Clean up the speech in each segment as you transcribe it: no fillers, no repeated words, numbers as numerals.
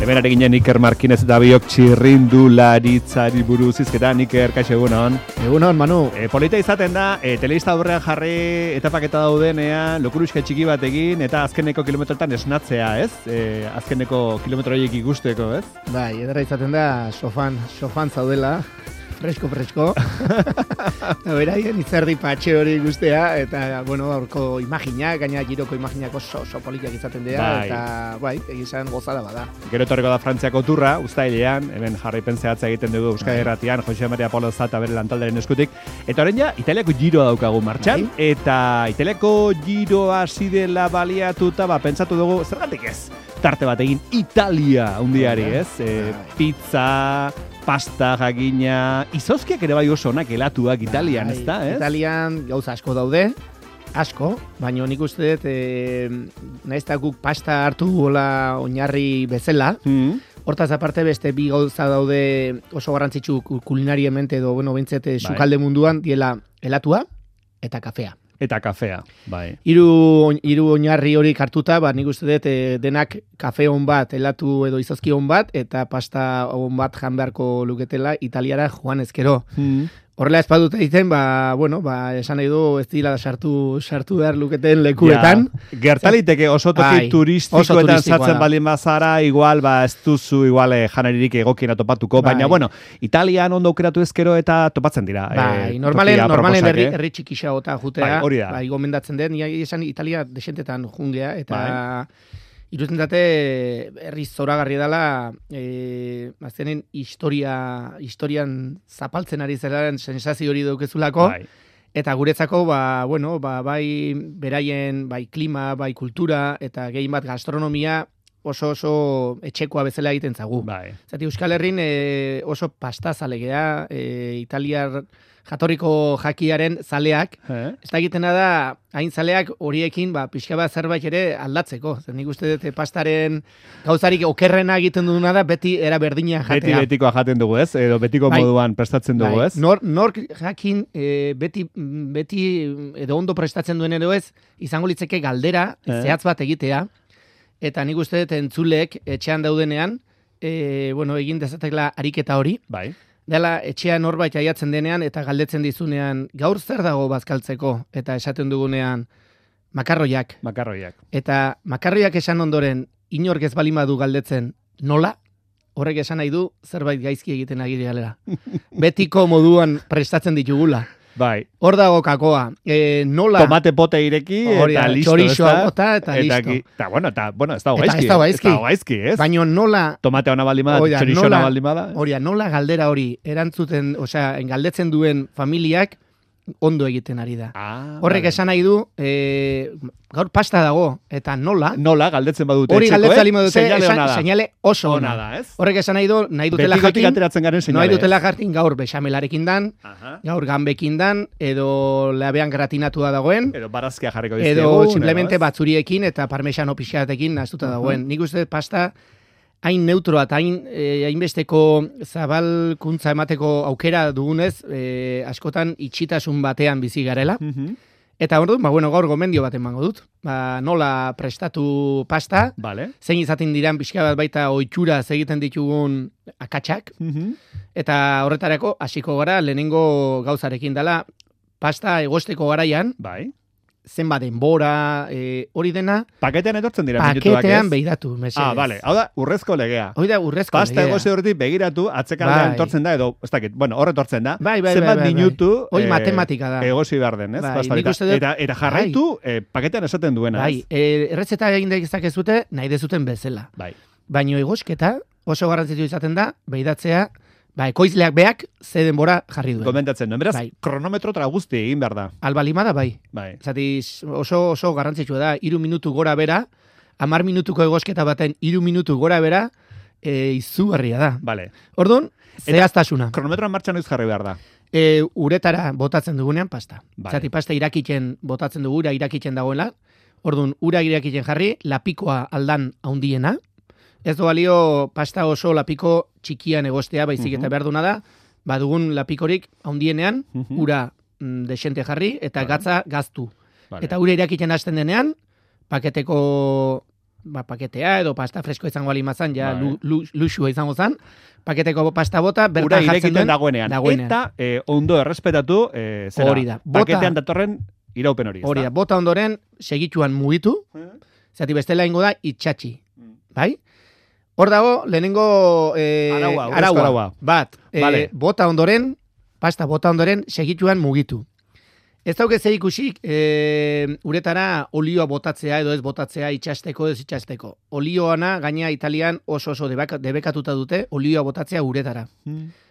Hemen ari ginen Iker Markinez eta biok txirrindularitzari buruz izketan. Iker, kaixo egunon. Egunon, Manu. Polita izaten da, telebista aurrean jarri etapaketa daudenean, lokuruxka txiki bat egin, eta azkeneko kilometroetan esnatzea, ez? Azkeneko kilometroiek ikusteko, ez? Bai, ederra izaten da, sofan zaudela, fresko. Beraien itzerdi patxe hori guztea, eta, bueno, aurko imaginak, gaina giroko imaginak oso polikiak izaten dira, bai. Eta, bai, egizan gozada bada. Gero etorriko da Frantziako turra, uztailean, hemen jarraipen zehatza egiten dugu Euskadi Irratian, Jose Maria Polo Zata bere lantaldaren eskutik. Eta orain ja, Italiako giroa daukagu martxan, bai. Eta Italiako giroa hasi dela baliatuta, pentsatu dugu, zergatik ez? Tarte bat egin Italia hundiari, ez? Pizza, pasta, jakina, izozkiak ere bai oso onak elatuak Italian, ez da, ez? Italian gauza asko daude, asko, baina nik uste dut, nahiz eta guk pasta hartu gola oinarri bezala, hortaz aparte beste bi gauza daude oso garrantzitsu kulinariemente edo, bueno, bintzet, sukalde munduan, diela elatua eta kafea. Eta kafea, bai. Hiru oinarri hori hartuta, nik uste dut denak kafe on bat, elatu edo izozki on bat, eta pasta on bat jan beharko luketela Italiara joan ezkero. Horrela ez badute egiten, esan nahi du ez dira sartu behar luketen lekuetan. Ja, gertaliteke oso toki turistikoetan sartzen balin bazara, igual ez duzu janaririk egokien topatuko, baina Italian ondo aukeratu ezkero eta topatzen dira. Normalen herri txikisa gota jutea, gomendatzen den, esan Italia desentetan jungea, eta irutzen dute herri zoragarri dela aztenen historian zapaltzen ari zeraren sensazio hori daukezulako, eta guretzako bai beraien bai klima, bai kultura, eta gehien bat gastronomia oso etxekoa bezala egiten zagu. Zati Euskal Herrin oso pastazale italiar jatorriko jakiaren zaleak, ez da egitena da, hain zaleak horiekin pixka bat zerbait ere aldatzeko. Zer nik uste dut pastaren gauzarik okerrena egiten duguna da, beti era berdina jatea. Betikoa jaten dugu ez, edo betiko moduan prestatzen dugu ez. Nork jakin beti edo ondo prestatzen duen edo ez, izango litzeke galdera, zehatz bat egitea, eta nik uste dut entzuleek etxean daudenean, egin dezatekla ariketa hori, dela etxean norbait aiatzen denean eta galdetzen dizunean gaur zer dago bazkaltzeko eta esaten dugunean makarroiak. Eta makarroiak esan ondoren inork ez balin badu galdetzen nola, horrek esan nahi du zerbait gaizki egiten ari direla. Betiko moduan prestatzen ditugula. Hor dago kakoa. Nola... Tomate pote ireki eta listo. Txorizoa bota eta listo. Eta ez dago gaizki, ez? Baina nola... Tomate hona baldimada, txorizo hona baldimada. Nola galdera hori erantzuten, galdetzen duen familiak ondo egiten ari da. Horrek esan nahi du, gaur pasta dago, eta nola... Nola, galdetzen badute. Hori galdetzen badute, seinale oso ona da. Horrek esan nahi du, nahi dutela jakin gaur bexamelarekin dan, gaur ganbekin dan, edo labean gratinatua dagoen, edo barazkia jarriko dizkigu, edo simplemente batzuriekin eta parmesano pixatekin nahastuta dagoen. Nik uste pasta hain neutroa eta hainbesteko zabalkuntza emateko aukera dugunez, askotan itxitasun batean bizi garela. Eta orduan, gaur gomendio bat emango dut. Nola prestatu pasta, zein izaten diran pixka bat baita ohitura egiten ditugun akatsak, eta horretarako hasiko gara lehenengo gauzarekin dela pasta egosteko garaian, zenbat denbora, hori dena... Paketean etortzen dira minutuak, ez? Paketean begiratu, mesedez. Bale. Hau da, urrezko legea. Pasta egoze horretik begiratu, atzekaldean etortzen da, edo, ez dakit, hor etortzen da. Zenbat minutu... Hoi matematika da. Egozi behar den, ez? Eta jarraitu, paketean esaten duena, ez? Erretzeta egin dezakezute, nahi dezuten bezala. Baina egosketa oso garrantzitu izaten da, begiratzea, ekoizleak beak ze denbora jarri duen. Komentatzen duen, beraz, kronometro tra guzti egin behar da. Albalimada Zati oso garrantzitsua da, 3 minutu gora bera, 10 minutuko egosketa baten 3 minutu gora bera, izugarria da. Orduan, zehaztasuna. Kronometroan martxan noiz jarri behar da. Uretara botatzen dugunean pasta. Zati pasta irakitzen botatzen dugu, irakitzen dagoela. Orduan, ura irakitzen jarri, lapikoa aldan haundiena. Ez du balio pasta oso lapiko txikian egostea, baizik eta behar duna da, badugun lapikorik haundienean, ura desente jarri, eta gatza gaztu. Eta ura irakiten hasten denean, paketeko paketea, edo pasta fresko izango alimazan, ja luxua izango zan, paketeko pasta bota, bertan jartzen duen dagoenean. Eta ondo errespetatu, zera, paketean datorren iraupen hori. Hori da, bota ondoren, segituan mugitu, zati bestela ingo da, itxatxi. Bai? Hor dago, lehenengo araua. Bat, bota ondoren, pasta bota ondoren, segituan mugitu. Ez dauke zer ikusik, uretara olioa botatzea edo ez botatzea itxasteko ez itxasteko. Olioana, gaina Italian oso debekatuta dute, olioa botatzea uretara.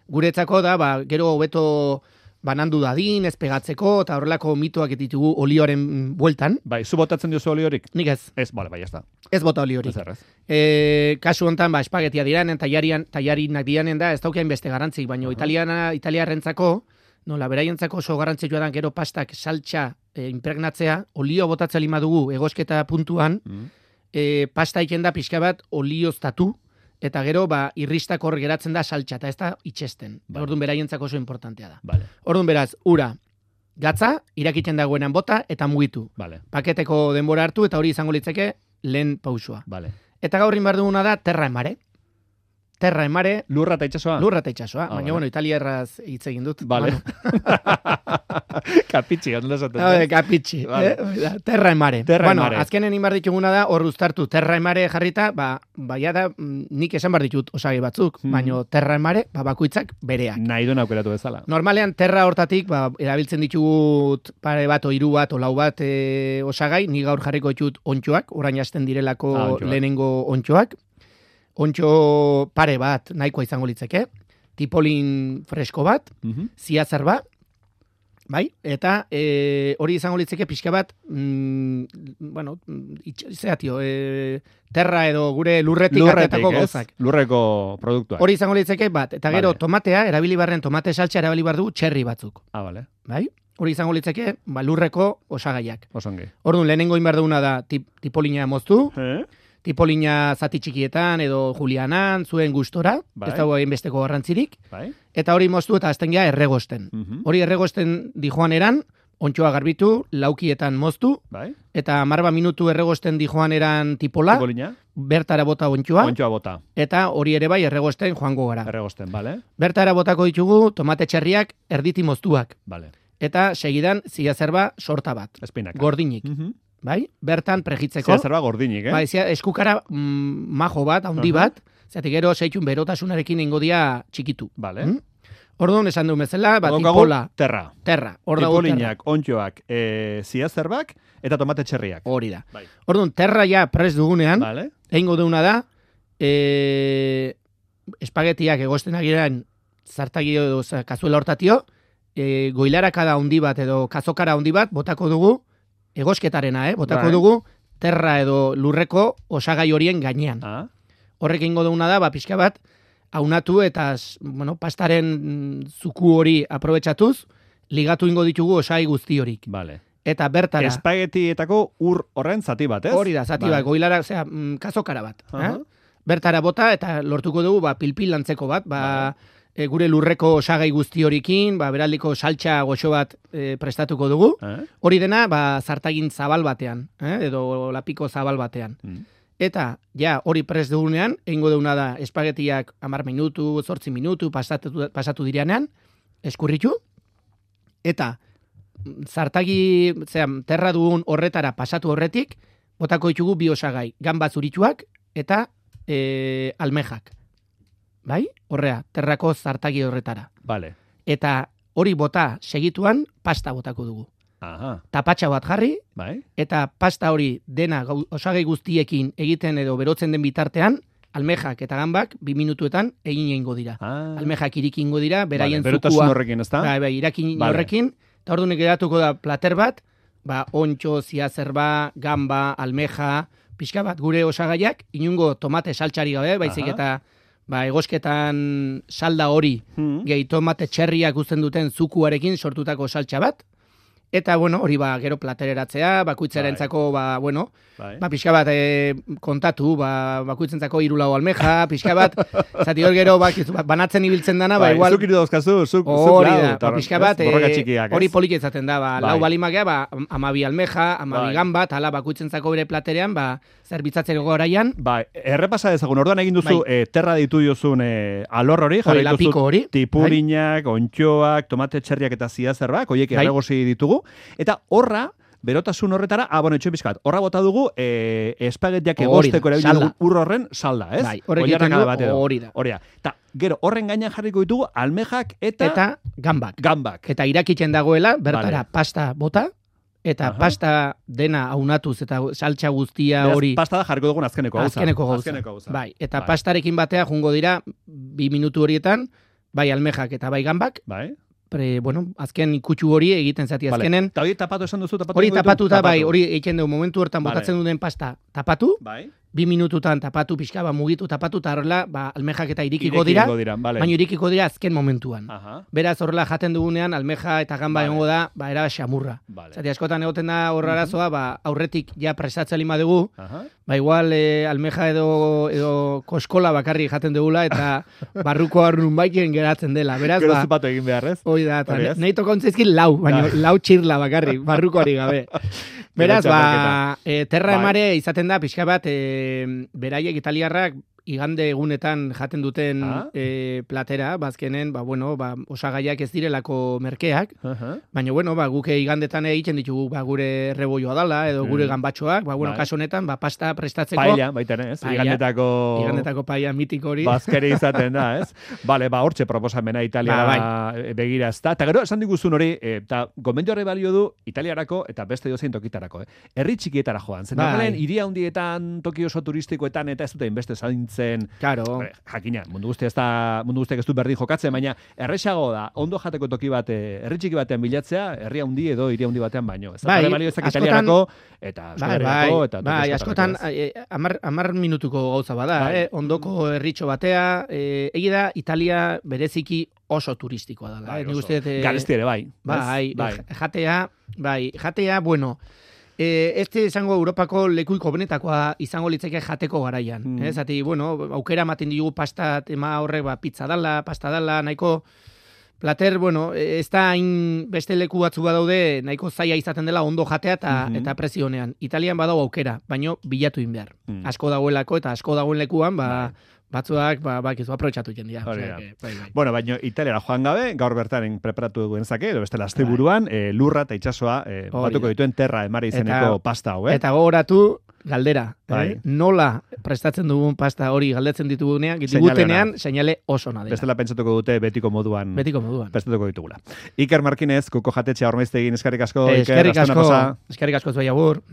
Guretzako da, gero hobeto banandu dadin, ez pegatzeko, eta horrelako mitoak ditugu olioaren bueltan. Bai, zu botatzen diozu oliorik? Nik ez. Ez, bai, ez da. Ez bota oliorik. Kasu honetan, espagetia diranen, tallarinak diranen da, ez daukean beste garantzik, baina italiarrentzako, nola, beraientzako oso garrantzitsua da gero pastak saltxa impregnatzea, olio botatzea lima dugu egosketa puntuan, pasta iken da pixka bat olioztatu, eta gero irristak hor geratzen da saltxa, eta ez da itxesten. Orduan beraientzako oso importantea da. Orduan beraz, ura, gatza, irakiten dagoenan bota, eta mugitu. Paketeko denbora hartu, eta hori izango litzeke lehen pausua. Eta gaurrin behar duguna da terra emare. Terra emare. Lurra eta itxasoa? Lurra eta itxasoa. Baina, bueno, italiarraz hitz egin dut. Kapitxi, ondo esaten. Kapitxi. Terra emare. Bueno, azkenen inbar dituguna da, hor uztartu terra emare jarrita, baina da, nik esan bar ditut osagi batzuk, baina terra emare, bakoitzak bereak. Nahi duen aukeratu bezala. Normalean, terra hortatik, erabiltzen ditugut pare bat, o hiru bat, o lau bat osagai, ni gaur jarriko ditut ontxoak, orain hasten direlako lehenengo ontxoak. Ontxo pare bat nahikoa izango litzeke, tipolin fresko bat, ziazer bat, bai? Eta hori izango litzeke pixka bat, bueno, zeatio, terra edo gure lurretik atetako gozak. Lurreko produktuak. Hori izango litzeke bat, eta gero tomatea, erabili barren tomate saltza erabili bar du txerri batzuk. Bale. Bai? Hori izango litzeke, lurreko osagaiak. Osongi. Orduan, lehenengo inbar duguna da tipolina moztu, tipolina zati txikietan edo julianan, zuen gustora, ez dago egin besteko garrantzirik, eta hori moztu eta azten gea erregosten. Hori erregosten dijoan eran, ontxoa garbitu, laukietan moztu, eta 10 minutu erregosten dijoan eran tipola, bertara bota ontxoa, eta hori ere bai erregosten joango gara. Bertara botako ditugu tomate txerriak erditi moztuak, eta segidan ziazerba sorta bat, gordinik. Bai, bertan pregitzeko. Ziazerba gordinik, Bai, eskukara majo bat, handi bat, zeatik gero seitxun berotasunarekin ingo dia txikitu. Orduan, esan du bezala, tipola. Terra. Tipolinak, ontxoak, ziazerbak, eta tomate txerriak. Hori da. Orduan, terra ja prest dugunean, egingo duguna da, espagetiak egosten agiran zartagi edo kazuela hortatio, goilarakada handi bat edo kazokara handi bat, botako dugu, egosketarena, botako dugu, terra edo lurreko osagai horien gainean. Horrek ingo duguna da, pixka bat, aunatu eta pastaren zuku hori aprobetxatuz, ligatu ingo ditugu osagai guzti horik. Eta bertara... Espagetietako ur horren zati bat, ez? Hori da, zati bat, goilara, kazokara bat. Bertara bota eta lortuko dugu pilpil lantzeko bat, gure lurreko osagai guzti horikin, beraldiko saltxa goxo bat prestatuko dugu. Hori dena, zartagin zabal batean, edo lapiko zabal batean. Eta, hori prest dugunean, egingo duguna da, espagetiak 10 minutu, 8 minutu, pasatu direnean, eskurritu, eta zartagi, terra dugun horretara pasatu horretik, botako ditugu bi osagai, gamba zurituak eta almejak. Bai? Horrea, terrako zartagi horretara. Eta hori bota segituan pasta botako dugu. Tapatxa bat jarri, eta pasta hori dena osagai guztiekin egiten edo berotzen den bitartean, almejak eta gambak 2 minutuetan egin egingo dira. Almejak irikin ingo dira, beraien zukua. Berotasun horrekin, ez da? Bai, irakin horrekin, eta orduan geratuko da plater bat, ontxo, ziazerba, gamba, almeja, pixka bat gure osagaiak, inungo tomate saltxari gabe, baizik eta egosketan salda hori, gehi tomate txerriak uzten duten zukuarekin sortutako saltxa bat, Eta, bueno, hori gero platereratzea, bakoitzarentzako, pixka bat kontatu, bakoitzentzako 3 lau almeja, pixka bat, zati hor gero, banatzen ibiltzen dana, igual... Zuk irudozkazu, zuk pixka bat, hori poliki izaten da, lau balimakea, 12 almeja, 12 gambat, hala bakoitzentzako bere platerean, zerbitzatzeko goraian. Errepasa dezagun, orduan egin duzu, terra ditu diozun alor hori, jarri duzu tipurinak, ontxoak, tomate txerriak eta ziazerbak, oiek erregosi ditugu, eta horra, berotasun horretara, itxoin pizkat, horra bota dugu espagetiak egosteko erabili dugu ur horren salda, ez? Horrek egiten du, hori da. Eta gero, horren gainean jarriko ditugu almejak eta gambak. Eta irakitzen dagoela, bertara pasta bota, eta pasta dena aunatuz eta saltza guztia hori... Pasta da jarriko dugun azkeneko gauza. Bai, eta pastarekin batea jungo dira 2 minutu horietan, bai almejak eta bai gambak, azken ikutsu hori egiten zati azkenen. Eta hori tapatu esan duzu? Hori tapatuta, hori egiten dugu momentu hortan botatzen duen pasta tapatu, 2 minututan tapatu, pixka, mugitu tapatu, eta horrela, almejak eta irikiko dira, baina irikiko dira azken momentuan. Beraz, horrela jaten dugunean, almeja eta gamba egongo da, era xamurra. Zati, askotan egoten da horra arazoa, aurretik ja prestatzen lima dugu, igual almeja edo koskola bakarri jaten dugula, eta barruko arrun baikien geratzen dela. Beraz, gero zupatu egin behar, ez? Hoi da, nahi tokontzaizkin lau, baina lau txirla bakarri, barrukoari gabe. Beraz, terra emare izaten da, pixka bat, beraiek italiarrak igande egunetan jaten duten platera, bazkenen, osagaiak ez direlako merkeak, baina, guk igandetan egiten ditugu gure rebolloa dala, edo gure gambatxoak, kaso honetan, pasta prestatzeko... Paella, baita, ez? Igandetako paella mitiko hori. Bazkere izaten da, ez? Bale, hortxe proposamena Italiara begira ez da. Eta gero, esan diguzun hori, eta gomendio horre balio du Italiarako eta beste dozein tokitarako. Herri txikietara joan. Zen, normalen, hiria handietan, toki oso turistikoetan, eta ez dute inbeste zaintzen. Claro. Jakina, mundu guztiak ez du berdin jokatzen, baina erresago da, ondo jateko toki bat, herri txiki batean bilatzea, herri handi edo hiria handi batean baino. Ez da balio ezak Italiarako, eta Euskal Herriako, askotan, 10 minutuko gauza bada, ondoko herritxo batea, egi da, Italia bereziki oso turistikoa da. Garesti ere, jatea, bueno, este izango Europako lekuiko benetakoa izango litzeke jateko garaian. Zati, aukera ematen ditugu pasta tema horrek, pizza dala, pasta dala, nahiko plater, ez da hain beste leku batzu badaude, nahiko zaila izaten dela ondo jatea eta prezio honean. Italian badago aukera, baino bilatu in behar. Asko dagoelako eta asko dagoen lekuan, batzuak, aprobetxatu jendia. Bueno, baina Italiara joan gabe, gaur bertaren preparatu duen zake, edo beste asteburuan, lurra eta itxasoa batuko dituen terra emare izeneko pasta hau, Eta gogoratu, galdera. Nola prestatzen dugun pasta hori galdetzen digutenean, seinale oso nada. Bestela pentsatuko dute betiko moduan. Prestatuko ditugula. Iker Markinez, Kuko Jatetxea Ormaiztegin, eskerrik asko. Eskerrik asko zuei agur.